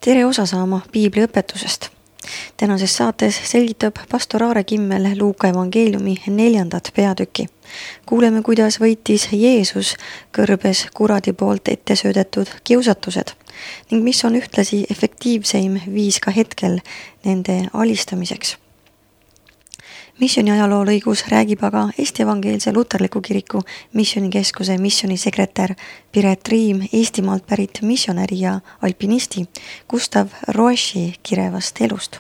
Tere osa saama piibliõpetusest. Tänases saates selgitab pastor Aare Kimmel Luuka evangeeliumi 4. peatüki. Kuuleme, kuidas võitis Jeesus kõrbes kuradi poolt ette söödetud kiusatused ning mis on ühtlasi efektiivseim viis ka hetkel nende alistamiseks. Missiooni ajaloolõigus räägib aga Eesti Evangeelse Luterliku Kiriku missioonikeskuse missionisekretär Piret Riim Eestimaalt pärit missionäri ja alpinisti Gustav Roeshi kirevast elust.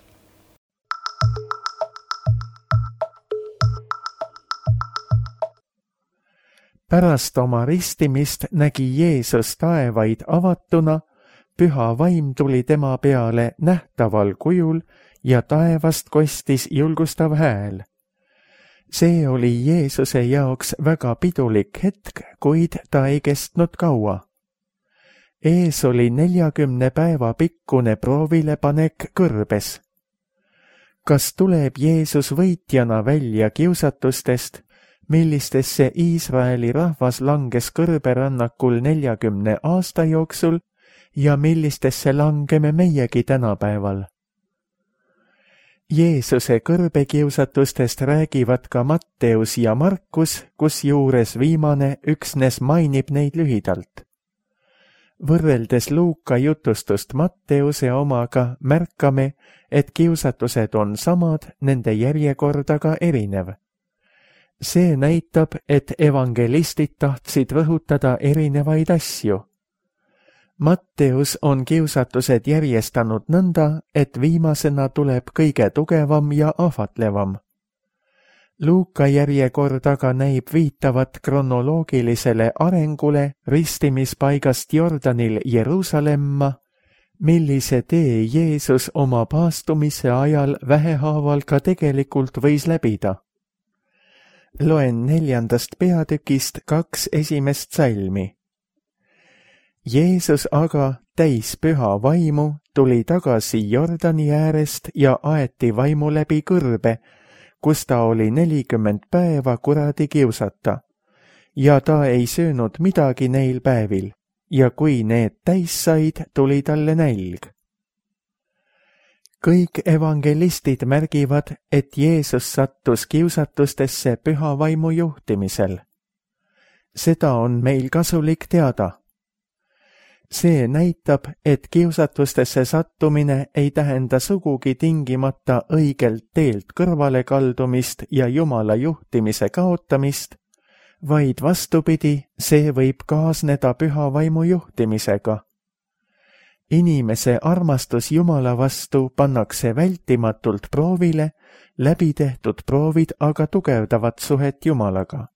Pärast oma ristimist nägi Jeesus taevaid avatuna, püha vaim tuli tema peale nähtaval kujul ja taevast kostis julgustav hääl. See oli Jeesuse jaoks väga pidulik hetk, kuid ta ei kestnud kaua. Ees oli 40 päeva pikkune proovilepanek kõrbes. Kas tuleb Jeesus võitjana välja kiusatustest, millistesse Iisraeli rahvas langes kõrberännakul 40 aasta jooksul ja millistesse langeme meiegi tänapäeval? Jeesuse kõrbekiusatustest räägivad ka Matteus ja Markus, kusjuures viimane üksnes mainib neid lühidalt. Võrreldes Luuka jutustust Matteuse omaga märkame, et kiusatused on samad, nende järjekord aga erinev. See näitab, et evangelistid tahtsid rõhutada erinevaid asju. Matteus on kiusatused järjestanud nõnda, et viimasena tuleb kõige tugevam ja ahvatlevam. Luuka järjekord aga näib viitavat kronoloogilisele arengule ristimispaigast Jordanil Jeruusalemma, millise tee Jeesus oma paastumise ajal vähehaaval ka tegelikult võis läbida. Loen 4. peatükist 2 esimest salmi. Jeesus aga, täis püha vaimu, tuli tagasi Jordani äärest ja aeti vaimu läbi kõrbe, kus ta oli 40 päeva kuradi kiusata. Ja ta ei söönud midagi neil päevil, ja kui need täis said, tuli talle nälg. Kõik evangelistid märgivad, et Jeesus sattus kiusatustesse püha vaimu juhtimisel. Seda on meil kasulik teada. See näitab, et kiusatustesse sattumine ei tähenda sugugi tingimata õigelt teelt kõrvale kaldumist ja Jumala juhtimise kaotamist, vaid vastupidi, see võib kaasneda püha vaimu juhtimisega. Inimese armastus Jumala vastu pannakse vältimatult proovile, läbitehtud proovid aga tugevdavad suhet Jumalaga.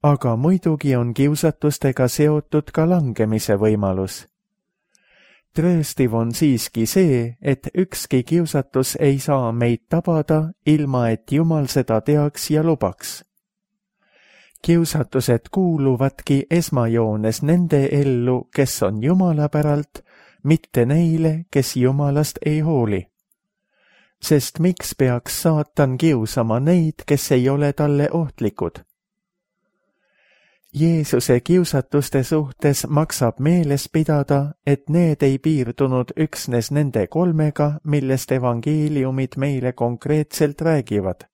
Aga muidugi on kiusatustega seotud ka langemise võimalus. Trööstiv on siiski see, et ükski kiusatus ei saa meid tabada, ilma et Jumal seda teaks ja lubaks. Kiusatused kuuluvadki esmajoones nende ellu, kes on Jumala päralt, mitte neile, kes Jumalast ei hooli. Sest miks peaks saatan kiusama neid, kes ei ole talle ohtlikud? Jeesuse kiusatuste suhtes maksab meeles pidada, et need ei piirdunud üksnes nende 3, millest evangeeliumid meile konkreetselt räägivad.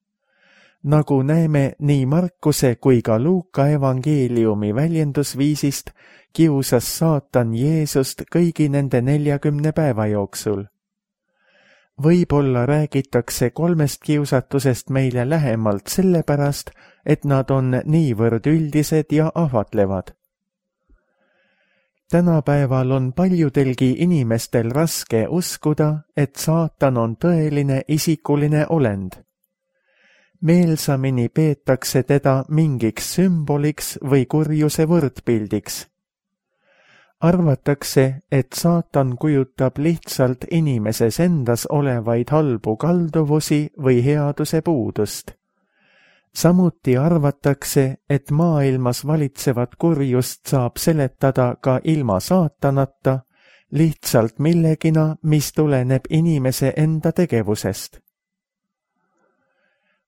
Nagu näeme nii Markuse kui ka Luuka evangeeliumi väljendusviisist, kiusas saatan Jeesust kõigi nende 40 päeva jooksul. Võib-olla räägitakse 3 kiusatusest meile lähemalt sellepärast, et nad on niivõrd üldised ja ahvatlevad. Tänapäeval on paljudelgi inimestel raske uskuda, et saatan on tõeline isikuline olend. Meelsamini peetakse teda mingiks sümboliks või kurjuse võrdpildiks. Arvatakse, et saatan kujutab lihtsalt inimeses endas olevaid halbu kalduvusi või headuse puudust. Samuti arvatakse, et maailmas valitsevat kurjust saab seletada ka ilma saatanata, lihtsalt millegina, mis tuleneb inimese enda tegevusest.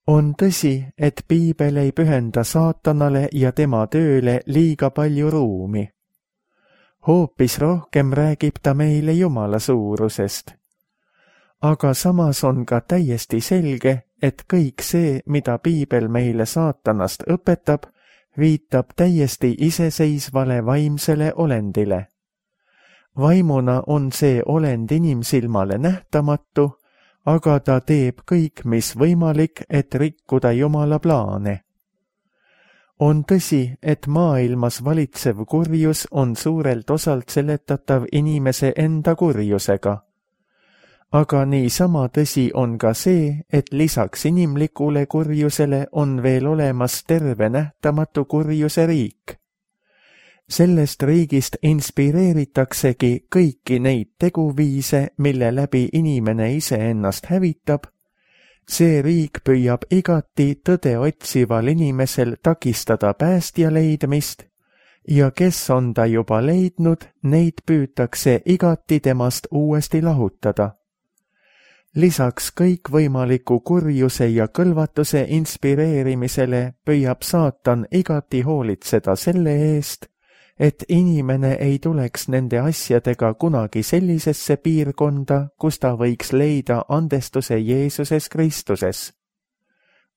On tõsi, et piibel ei pühenda saatanale ja tema tööle liiga palju ruumi. hoopis rohkem räägib ta meile Jumala suurusest. Aga samas on ka täiesti selge, et kõik see, mida piibel meile saatanast õpetab, viitab täiesti iseseisvale vaimsele olendile. Vaimuna on see olend inimsilmale nähtamatu, aga ta teeb kõik, mis võimalik, et rikkuda Jumala plaane. On tõsi, et maailmas valitsev kurjus on suurelt osalt seletatav inimese enda kurjusega. Aga niisama tõsi on ka see, et lisaks inimlikule kurjusele on veel olemas terve nähtamatu kurjuse riik. Sellest riigist inspireeritaksegi kõiki neid teguviise, mille läbi inimene iseennast hävitab. See riik püüab igati tõde otsival inimesel takistada päästja leidmist ja kes on ta juba leidnud, neid püütakse igati temast uuesti lahutada. Lisaks kõikvõimaliku kurjuse ja kõlvatuse inspireerimisele püüab saatan igati hoolitseda selle eest, et inimene ei tuleks nende asjadega kunagi sellisesse piirkonda, kus ta võiks leida andestuse Jeesuses Kristuses.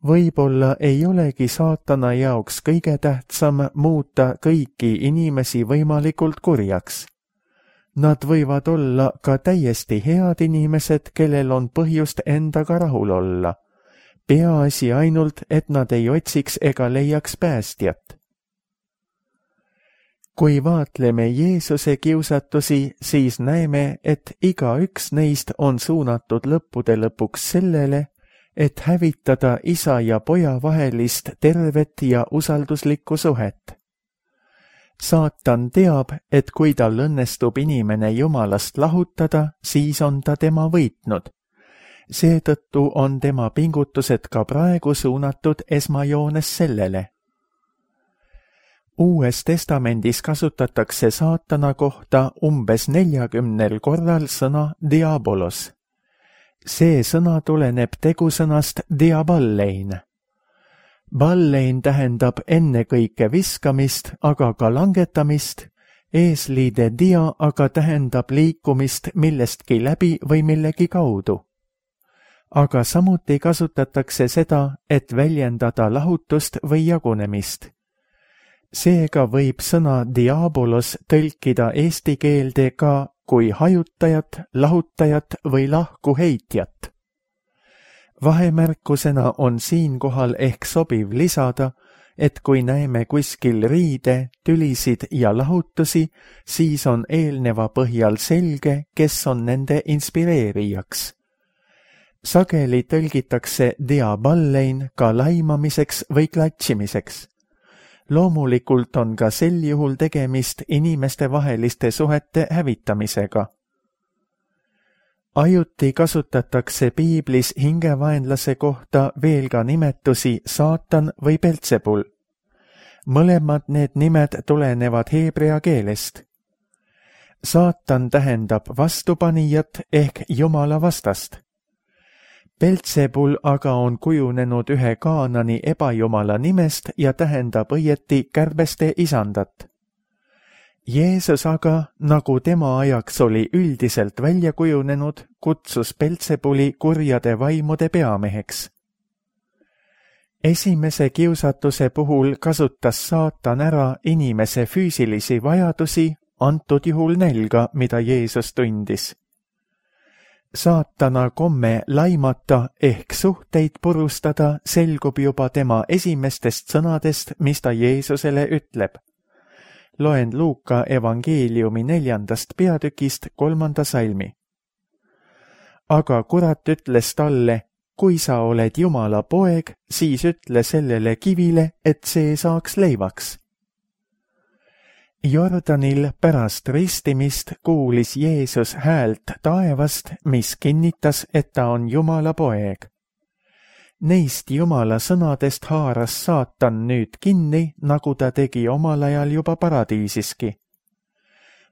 Võib-olla ei olegi saatana jaoks kõige tähtsam muuta kõiki inimesi võimalikult kurjaks. Nad võivad olla ka täiesti head inimesed, kellel on põhjust endaga rahul olla. Peaasi ainult, et nad ei otsiks ega leiaks päästjat. Kui vaatleme Jeesuse kiusatusi, siis näeme, et igaüks neist on suunatud lõppude lõpuks sellele, et hävitada isa ja poja vahelist tervet ja usalduslikku suhet. Saatan teab, et kui tal õnnestub inimene Jumalast lahutada, siis on ta tema võitnud. Seetõttu on tema pingutused ka praegu suunatud esmajoones sellele. Uues testamendis kasutatakse saatana kohta umbes 40 korral sõna diabolos. See sõna tuleneb tegusõnast diaballein. Ballein tähendab ennekõike viskamist, aga ka langetamist, eesliide dia aga tähendab liikumist millestki läbi või millegi kaudu. Aga samuti kasutatakse seda, et väljendada lahutust või jagunemist. Seega võib sõna diabolos tõlkida eesti keelde ka kui hajutajat, lahutajat või lahkuheitjat. Vahemärkusena on siinkohal ehk sobiv lisada, et kui näeme kuskil riide, tülisid ja lahutusi, siis on eelneva põhjal selge, kes on nende inspireerijaks. Sageli tõlgitakse diaballein ka laimamiseks või klatšimiseks. Loomulikult on ka sel juhul tegemist inimestevaheliste suhete hävitamisega. Ajuti kasutatakse piiblis hingevaenlase kohta veel ka nimetusi saatan või Beltsebul. Mõlemad need nimed tulenevad heebrea keelest. Saatan tähendab vastupanijat ehk Jumala vastast. Beltsebul aga on kujunenud ühe Kaanani ebajumala nimest ja tähendab õieti kärbeste isandat. Jeesus aga, nagu tema ajaks oli üldiselt välja kujunenud, kutsus Beltsebuli kurjade vaimude peameheks. Esimese kiusatuse puhul kasutas saatan ära inimese füüsilisi vajadusi, antud juhul nälga, mida Jeesus tundis. Saatana komme laimata ehk suhteid purustada selgub juba tema esimestest sõnadest, mis ta Jeesusele ütleb. Loen Luuka evangeeliumi 4. peatükist 3. salmi. Aga kurat ütles talle, kui sa oled Jumala poeg, siis ütle sellele kivile, et see saaks leivaks. Jordanil pärast ristimist kuulis Jeesus häält taevast, mis kinnitas, et ta on Jumala poeg. Neist Jumala sõnadest haaras saatan nüüd kinni, nagu ta tegi omal ajal juba paradiisiski.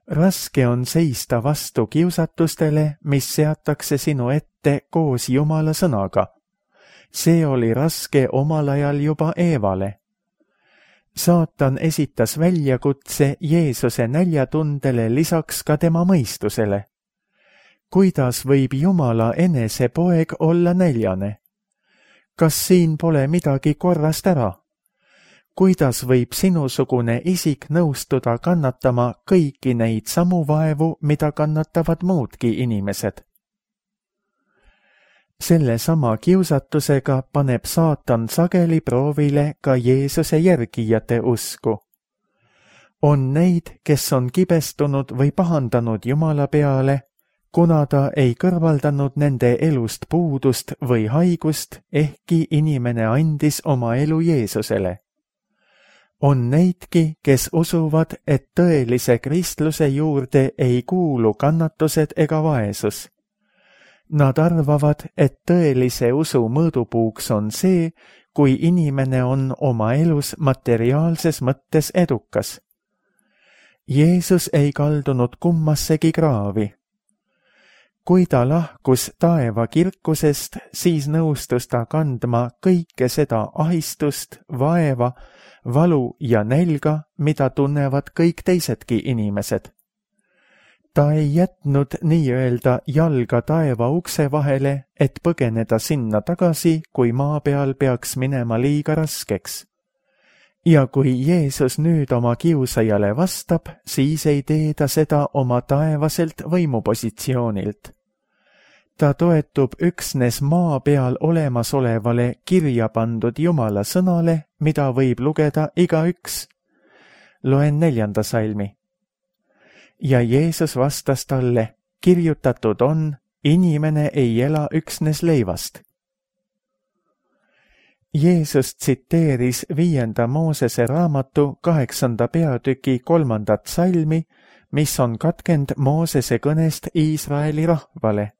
Raske on seista vastu kiusatustele, mis seatakse sinu ette koos Jumala sõnaga. See oli raske omal ajal juba Eevale. Saatan esitas väljakutse Jeesuse näljatundele lisaks ka tema mõistusele. Kuidas võib Jumala enese poeg olla näljane? Kas siin pole midagi korrast ära? Kuidas võib sinusugune isik nõustuda kannatama kõiki neid samu vaevu, mida kannatavad muudki inimesed? Selle sama kiusatusega paneb saatan sageli proovile ka Jeesuse järgijate usku. On neid, kes on kibestunud või pahandanud Jumala peale, kuna ta ei kõrvaldanud nende elust puudust või haigust, ehkki inimene andis oma elu Jeesusele. On neidki, kes usuvad, et tõelise kristluse juurde ei kuulu kannatused ega vaesus. Nad arvavad, et tõelise usu mõõdupuuks on see, kui inimene on oma elus materiaalses mõttes edukas. Jeesus ei kaldunud kummassegi kraavi. Kui ta lahkus taeva kirkusest, siis nõustus ta kandma kõike seda ahistust, vaeva, valu ja nälga, mida tunnevad kõik teisedki inimesed. Ta ei jätnud nii-öelda jalga taeva ukse vahele, et põgeneda sinna tagasi, kui maa peal peaks minema liiga raskeks. Ja kui Jeesus nüüd oma kiusajale vastab, siis ei tee ta seda oma taevaselt võimupositsioonilt. Ta toetub üksnes maa peal olemasolevale kirja pandud Jumala sõnale, mida võib lugeda igaüks. Loen 4. salmi. Ja Jeesus vastas talle, kirjutatud on, inimene ei ela üksnes leivast. Jeesus tsiteeris 5. Moosese raamatu 8. peatüki 3. salmi, mis on katkend Moosese kõnest Iisraeli rahvale.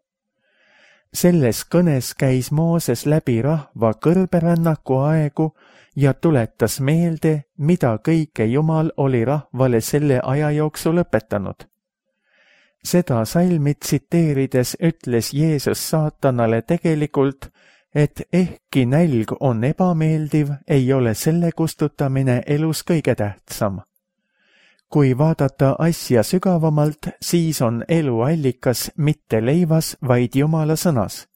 Selles kõnes käis Mooses läbi rahva kõrberännaku aegu ja tuletas meelde, mida kõike Jumal oli rahvale selle aja jooksul õpetanud. Seda salmi tsiteerides ütles Jeesus saatanale tegelikult, et ehkki nälg on ebameeldiv, ei ole selle kustutamine elus kõige tähtsam. Kui vaadata asja sügavamalt, siis on elu allikas mitte leivas, vaid Jumala sõnas.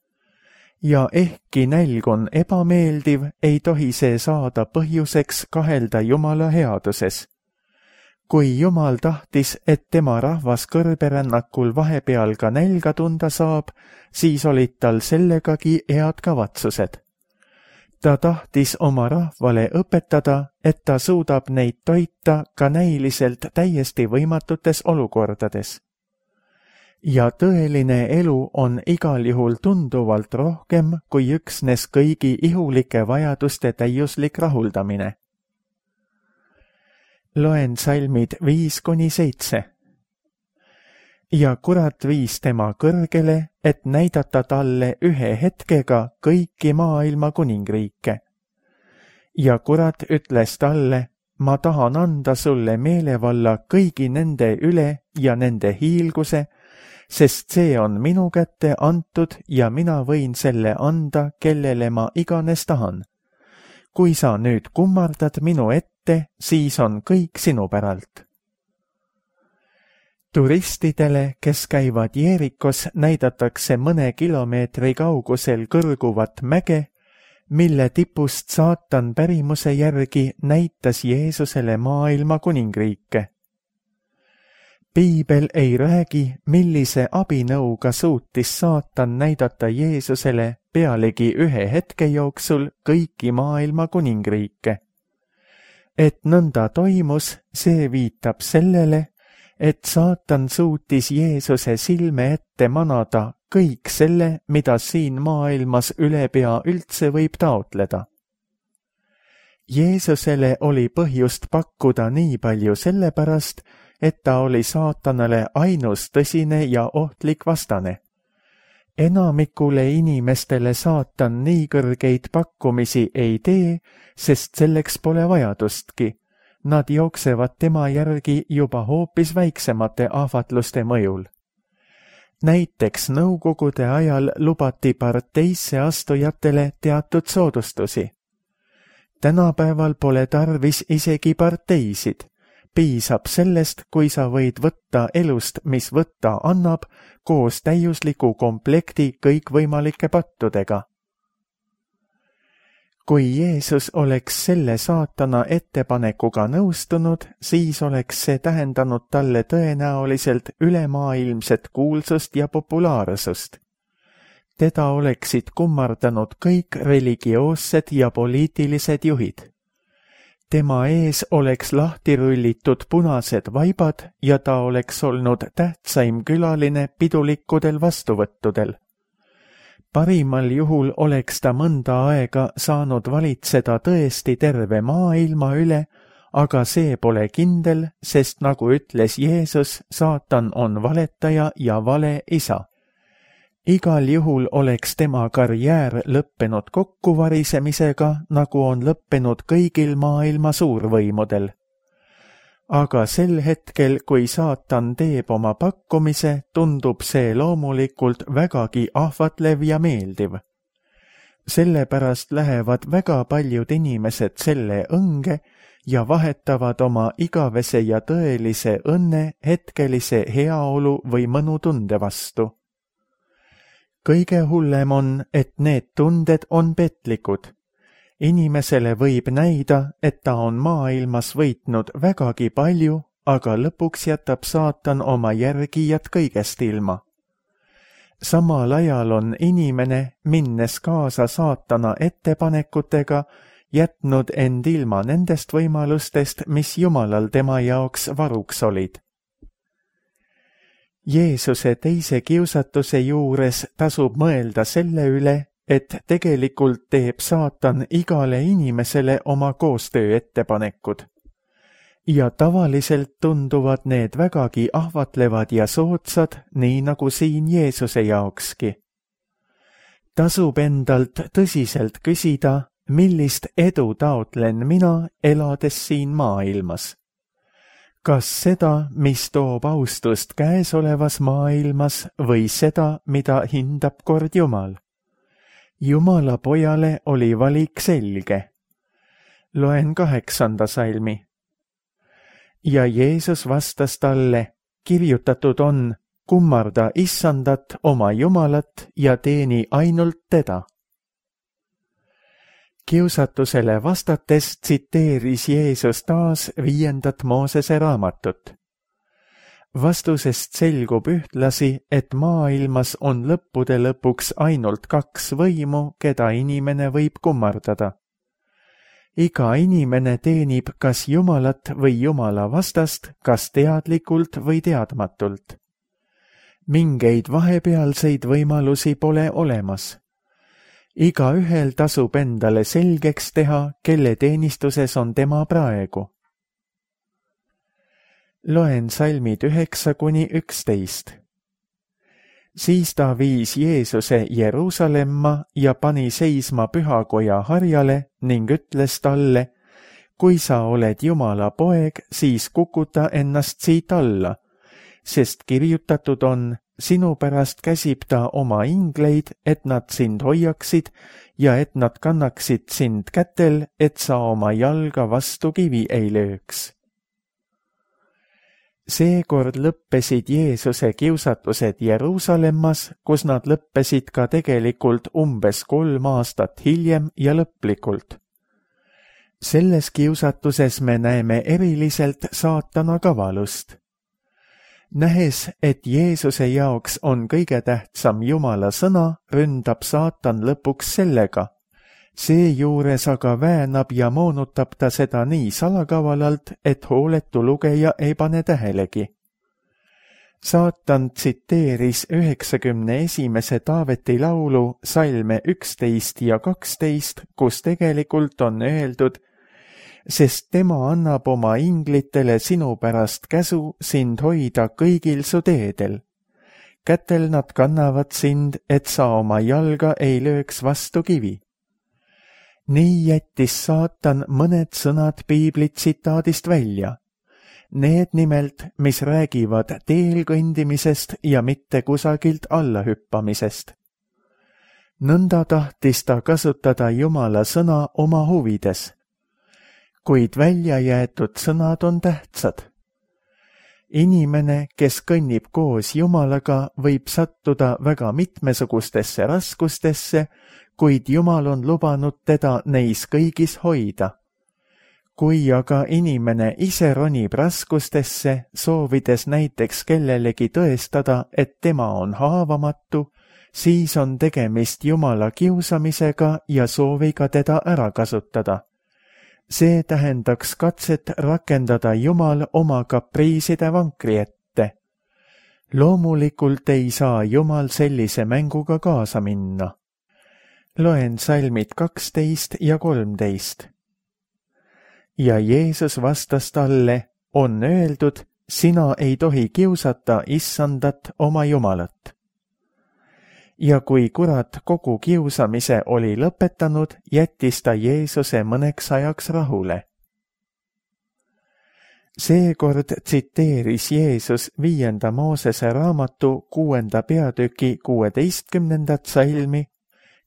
Ja ehkki nälg on ebameeldiv, ei tohi see saada põhjuseks kahelda Jumala headuses. Kui Jumal tahtis, et tema rahvas kõrberännakul vahepeal ka nälga tunda saab, siis olid tal sellegagi head kavatsused. Ta tahtis oma rahvale õpetada, et ta suudab neid toita ka näiliselt täiesti võimatutes olukordades. Ja tõeline elu on igal juhul tunduvalt rohkem kui üksnes kõigi ihulike vajaduste täiuslik rahuldamine. Loen salmid 5-7. Ja kurat viis tema kõrgele, et näidata talle ühe hetkega kõiki maailma kuningriike. Ja kurat ütles talle, ma tahan anda sulle meelevalla kõigi nende üle ja nende hiilguse, sest see on minu kätte antud ja mina võin selle anda, kellele ma iganes tahan. Kui sa nüüd kummardad minu ette, siis on kõik sinu päralt. Turistidele, kes käivad Jeerikos, näidatakse mõne kilomeetri kaugusel kõrguvat mäge, mille tipust saatan pärimuse järgi näitas Jeesusele maailma kuningriike. Piibel ei räägi, millise abinõuga suutis saatan näidata Jeesusele pealegi ühe hetke jooksul kõiki maailma kuningriike. Et nõnda toimus, see viitab sellele, et saatan suutis Jeesuse silme ette manada kõik selle, mida siin maailmas ülepea üldse võib taotleda. Jeesusele oli põhjust pakkuda nii palju sellepärast, et ta oli saatanale ainus tõsine ja ohtlik vastane. Enamikule inimestele saatan nii kõrgeid pakkumisi ei tee, sest selleks pole vajadustki. Nad jooksevad tema järgi juba hoopis väiksemate ahvatluste mõjul. Näiteks nõukogude ajal lubati parteisse astujatele teatud soodustusi. Tänapäeval pole tarvis isegi parteisid. Piisab sellest, kui sa võid võtta elust, mis võtta annab, koos täiusliku komplekti kõikvõimalike pattudega. Kui Jeesus oleks selle saatana ettepanekuga nõustunud, siis oleks see tähendanud talle tõenäoliselt ülemaailmset kuulsust ja populaarsust. Teda oleksid kummardanud kõik religioossed ja poliitilised juhid. Tema ees oleks lahti rullitud punased vaibad ja ta oleks olnud tähtsaim külaline pidulikkudel vastuvõttudel. Parimal juhul oleks ta mõnda aega saanud valitseda tõesti terve maailma üle, aga see pole kindel, sest nagu ütles Jeesus, saatan on valetaja ja vale isa. Igal juhul oleks tema karjäär lõppenud kokkuvarisemisega, nagu on lõppenud kõigil maailma suurvõimudel. Aga sel hetkel, kui saatan teeb oma pakkumise, tundub see loomulikult vägagi ahvatlev ja meeldiv. Sellepärast lähevad väga paljud inimesed selle õnge ja vahetavad oma igavese ja tõelise õnne hetkelise heaolu või mõnutunde vastu. Kõige hullem on, et need tunded on petlikud. Inimesele võib näida, et ta on maailmas võitnud vägagi palju, aga lõpuks jätab saatan oma järgijad kõigest ilma. Samal ajal on inimene, minnes kaasa saatana ettepanekutega, jätnud end ilma nendest võimalustest, mis Jumalal tema jaoks varuks olid. Jeesuse teise kiusatuse juures tasub mõelda selle üle, et tegelikult teeb saatan igale inimesele oma koostööettepanekud. Ja tavaliselt tunduvad need vägagi ahvatlevad ja soodsad, nii nagu siin Jeesuse jaokski. Tasub endalt tõsiselt küsida, millist edu taotlen mina, elades siin maailmas. Kas seda, mis toob austust käesolevas maailmas või seda, mida hindab kord Jumal? Jumala pojale oli valik selge. Loen 8. salmi. Ja Jeesus vastas talle, kirjutatud on, kummarda Issandat oma Jumalat ja teeni ainult teda. Kiusatusele vastates tsiteeris Jeesus taas 5. Moosese raamatut. Vastusest selgub ühtlasi, et maailmas on lõppude lõpuks ainult 2 võimu, keda inimene võib kummardada. Iga inimene teenib kas Jumalat või Jumala vastast, kas teadlikult või teadmatult. Mingeid vahepealseid võimalusi pole olemas. Igaühel tasub endale selgeks teha, kelle teenistuses on tema praegu. Loen salmid 9–11. Siis ta viis Jeesuse Jeruusalemma ja pani seisma pühakoja harjale ning ütles talle, kui sa oled Jumala poeg, siis kukuta ennast siit alla, sest kirjutatud on, sinu pärast käsib ta oma ingleid, et nad sind hoiaksid ja et nad kannaksid sind kätel, et sa oma jalga vastu kivi ei lööks. Seekord lõppesid Jeesuse kiusatused Jeruusalemmas, kus nad lõppesid ka tegelikult umbes 3 aastat hiljem ja lõplikult. Selles kiusatuses me näeme eriliselt saatana kavalust. Nähes, et Jeesuse jaoks on kõige tähtsam Jumala sõna, ründab saatan lõpuks sellega. Seejuures aga väänab ja moonutab ta seda nii salakavalalt, et hooletu lugeja ei pane tähelegi. Saatan tsiteeris 91. Taaveti laulu salme 11 ja 12, kus tegelikult on öeldud, sest tema annab oma inglitele sinu pärast käsu sind hoida kõigil su teedel. Kätel nad kannavad sind, et sa oma jalga ei lööks vastu kivi. Nii jättis saatan mõned sõnad piibli tsitaadist välja. Need nimelt, mis räägivad teel kõndimisest ja mitte kusagilt allahüppamisest. Nõnda tahtis ta kasutada Jumala sõna oma huvides. kuid välja jäetud sõnad on tähtsad. Inimene, kes kõnnib koos Jumalaga, võib sattuda väga mitmesugustesse raskustesse, kuid Jumal on lubanud teda neis kõigis hoida. Kui aga inimene ise ronib raskustesse, soovides näiteks kellelegi tõestada, et tema on haavamatu, siis on tegemist Jumala kiusamisega ja sooviga teda ära kasutada. See tähendaks katset rakendada Jumal oma kapriiside vankri ette. Loomulikult ei saa Jumal sellise mänguga kaasa minna. Loen salmid 12 ja 13. Ja Jeesus vastas talle, on öeldud, sina ei tohi kiusata Issandat oma Jumalat. Ja kui kurat kogu kiusamise oli lõpetanud, jättis ta Jeesuse mõneks ajaks rahule. Seekord tsiteeris Jeesus 5. Moosese raamatu 6. peatüki 16. salmi,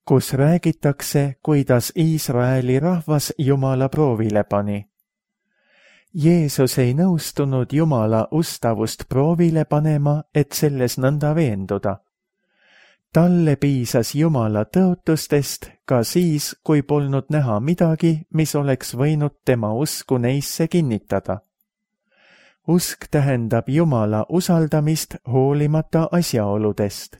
kus räägitakse, kuidas Iisraeli rahvas Jumala proovile pani. Jeesus ei nõustunud Jumala ustavust proovile panema, et selles nõnda veenduda. Talle piisas Jumala tõotustest ka siis, kui polnud näha midagi, mis oleks võinud tema usku neisse kinnitada. Usk tähendab Jumala usaldamist hoolimata asjaoludest.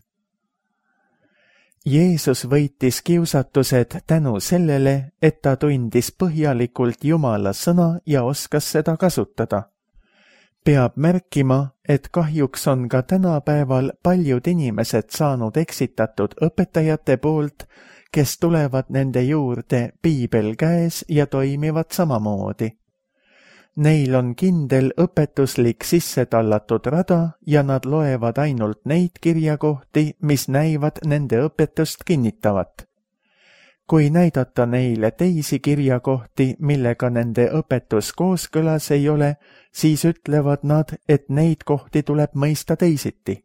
Jeesus võitis kiusatused tänu sellele, et ta tundis põhjalikult Jumala sõna ja oskas seda kasutada. Peab märkima, et kahjuks on ka tänapäeval paljud inimesed saanud eksitatud õpetajate poolt, kes tulevad nende juurde piibel käes ja toimivad samamoodi. Neil on kindel õpetuslik sisse tallatud rada ja nad loevad ainult neid kirjakohti, mis näivad nende õpetust kinnitavat. Kui näidata neile teisi kirjakohti, millega nende õpetus kooskõlas ei ole, siis ütlevad nad, et neid kohti tuleb mõista teisiti.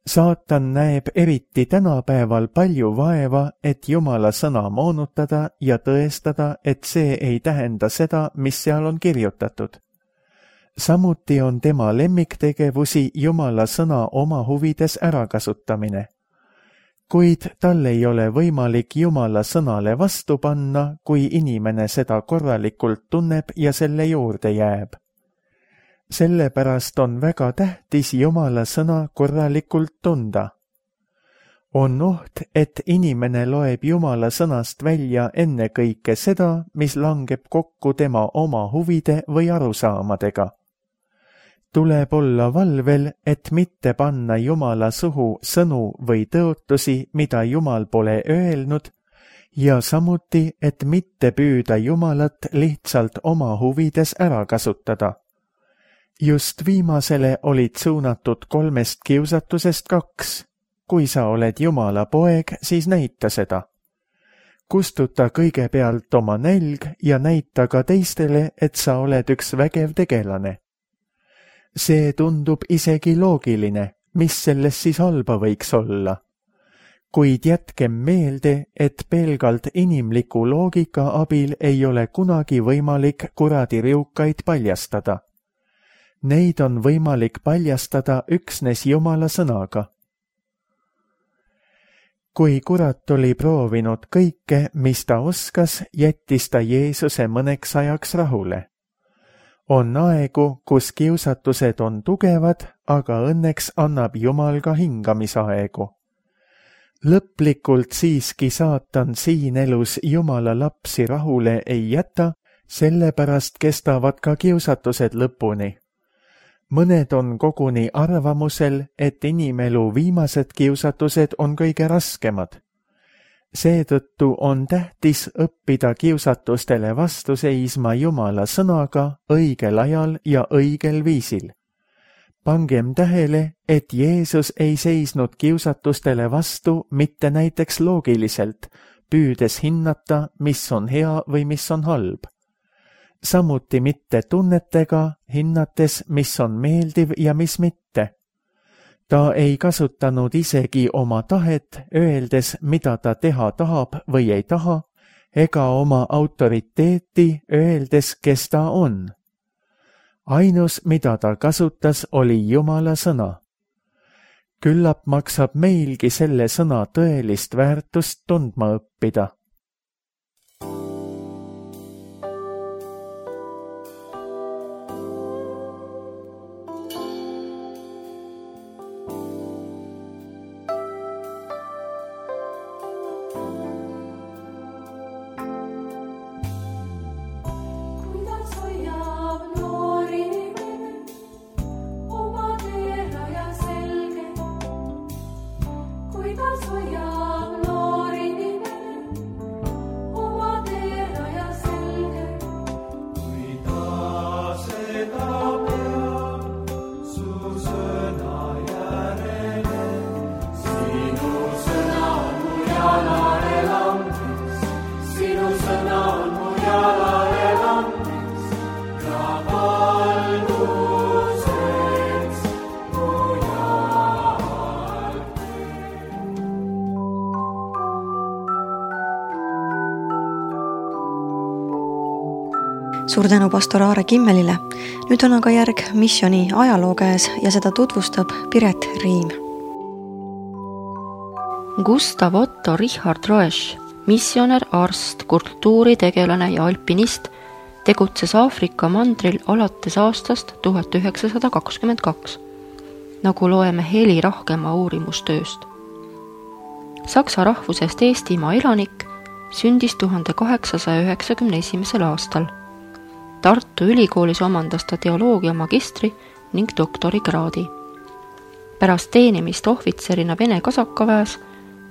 Saatan näeb eriti tänapäeval palju vaeva, et Jumala sõna moonutada ja tõestada, et see ei tähenda seda, mis seal on kirjutatud. Samuti on tema lemmiktegevusi Jumala sõna oma huvides ärakasutamine. Kuid tal ei ole võimalik Jumala sõnale vastu panna, kui inimene seda korralikult tunneb ja selle juurde jääb. Sellepärast on väga tähtis Jumala sõna korralikult tunda. On oht, et inimene loeb Jumala sõnast välja ennekõike seda, mis langeb kokku tema oma huvide või arusaamadega. Tuleb olla valvel, et mitte panna Jumala suhu sõnu või tõotusi, mida Jumal pole öelnud, ja samuti, et mitte püüda Jumalat lihtsalt oma huvides ära kasutada. Just viimasele olid suunatud 3 kiusatusest 2. Kui sa oled Jumala poeg, siis näita seda. Kustuta kõigepealt oma nälg ja näita ka teistele, et sa oled üks vägev tegelane. See tundub isegi loogiline, mis selles siis halba võiks olla. Kuid jätkem meelde, et pelgalt inimliku loogika abil ei ole kunagi võimalik kuradiriukaid paljastada. Neid on võimalik paljastada üksnes Jumala sõnaga. Kui kurat oli proovinud kõike, mis ta oskas, jättis ta Jeesuse mõneks ajaks rahule. On aegu, kus kiusatused on tugevad, aga õnneks annab Jumal ka hingamisaegu. Lõplikult siiski saatan siin elus Jumala lapsi rahule ei jäta, sellepärast kestavad ka kiusatused lõpuni. Mõned on koguni arvamusel, et inimelu viimased kiusatused on kõige raskemad. Seetõttu on tähtis õppida kiusatustele vastu seisma Jumala sõnaga õigel ajal ja õigel viisil. Pangem tähele, et Jeesus ei seisnud kiusatustele vastu mitte näiteks loogiliselt, püüdes hinnata, mis on hea või mis on halb. Samuti mitte tunnetega, hinnates, mis on meeldiv ja mis mitte. Ta ei kasutanud isegi oma tahet, öeldes, mida ta teha tahab või ei taha, ega oma autoriteeti öeldes, kes ta on. Ainus, mida ta kasutas, oli Jumala sõna. Küllap maksab meilgi selle sõna tõelist väärtust tundma õppida. Suur tänu pastor Aare Kimmelile. Nüüd on aga järg missiooni ajaloo käes ja seda tutvustab Piret Riim. Gustav Otto Richard Roesch, missionär, arst, kultuuritegelane ja alpinist, tegutses Aafrika mandril alates aastast 1922, nagu loeme Heli Rahkemaa uurimustööst. Saksa rahvusest Eestimaa elanik sündis 1891. aastal. Tartu ülikoolis omandas ta teoloogia magistri ning doktorikraadi. Pärast teenimist ohvitserina Vene kasakaväes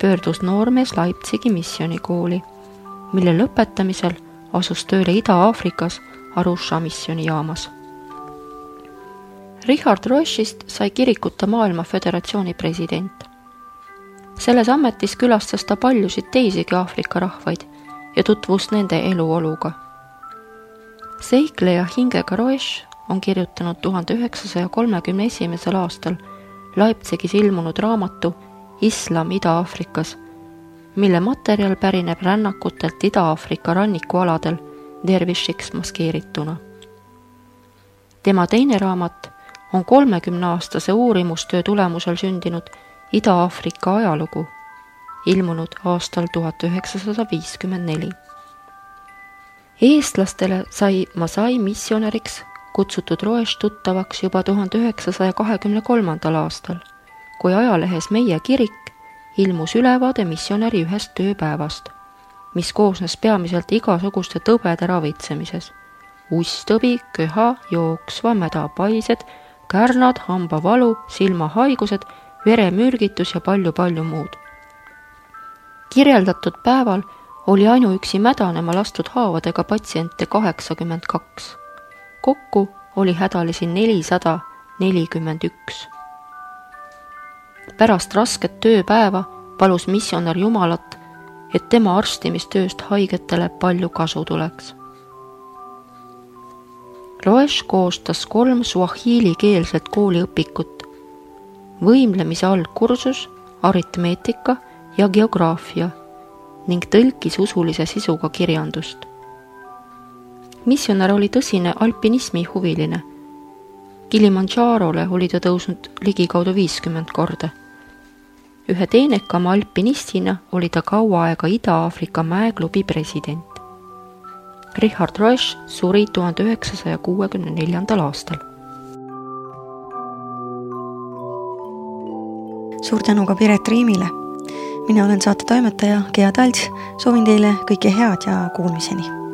pöördus noormees Leipzigi missionikooli, mille lõpetamisel asus tööle Ida-Aafrikas Arusha missionijaamas. Richard Roeschist sai kirikute maailma föderatsiooni president. Selles ametis külastas ta paljusid teisigi Aafrika rahvaid ja tutvus nende eluoluga. Seikleja hingega Roesch on kirjutanud 1931. aastal Leipzigis ilmunud raamatu Islam Ida-Aafrikas, mille materjal pärineb rännakutelt Ida-Aafrika rannikualadel dervišiks maskeerituna. Tema teine raamat on 30-aastase uurimustöö tulemusel sündinud Ida-Aafrika ajalugu, ilmunud aastal 1954. Eestlastele sai Masai missionäriks kutsutud Roesch tuttavaks juba 1923. aastal, kui ajalehes Meie kirik ilmus ülevaade missionäri ühest tööpäevast, mis koosnes peamiselt igasuguste tõbede ravitsemises. Usttõbi, köha, jooksva, mädapaised, kärnad, hambavalu, silmahaigused, veremürgitus ja palju muud. Kirjeldatud päeval oli ainuüksi mädanema lastud haavadega patsiente 82. Kokku oli hädalisi 441. Pärast rasket tööpäeva palus missionär Jumalat, et tema arstimistööst haigetele palju kasu tuleks. Roesch koostas 3 suahiilikeelset kooliõpikut, võimlemise algkursus, aritmeetika ja geograafia ning tõlkis usulise sisuga kirjandust. Missionär oli tõsine alpinismi huviline. Kilimanjarole oli ta tõusnud ligikaudu 50 korda. Ühe teenekama alpinistina oli ta kaua aega Ida-Aafrika mäeklubi president. Richard Roesch suri 1964. aastal. Suur tänu ka Piret Riimile. Mina olen saate toimetaja Gea Talts, soovin teile kõike head ja kuulmiseni.